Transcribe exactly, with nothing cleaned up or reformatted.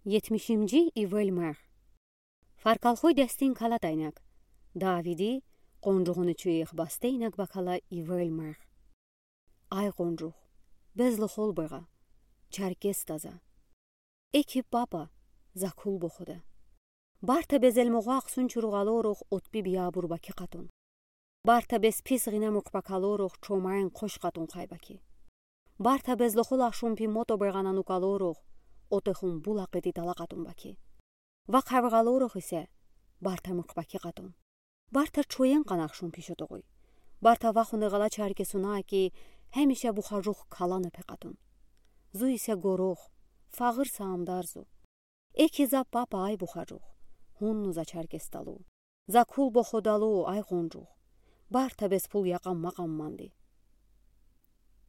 Етмишимжи ивел марх. Фаркалхой дестин калад айнаг. Давиди къонжугъуни чуйих басте инаг бакала ивел марх. Ай къонжух, безлохол быра, Черкесда за. Эки папа, за кул бохуда. Барта безел мугъа ахсун чуругъалорох отпи биябур баки къатун. Барта без пис гъина муькъбакалорох чомайн къош къатун хайбаки. Барта безлохол ашунпи мото бырананукалорох отехун булакъеди тала къатун баки. Вахъ хавралорох исе барта муькъбаки къатун. Барта чоен къанахшун пишотогъуй. Барта вахун эгала Черкесуна ки, хемиша бухажух калана пе къатун. Зу исе горох, фагъыр саамдар зу. Эки за папа ай бухажух, хунну за Черкесдалу. За кул боходалу ай къонжух. Барта без пул якъам-макъам манди.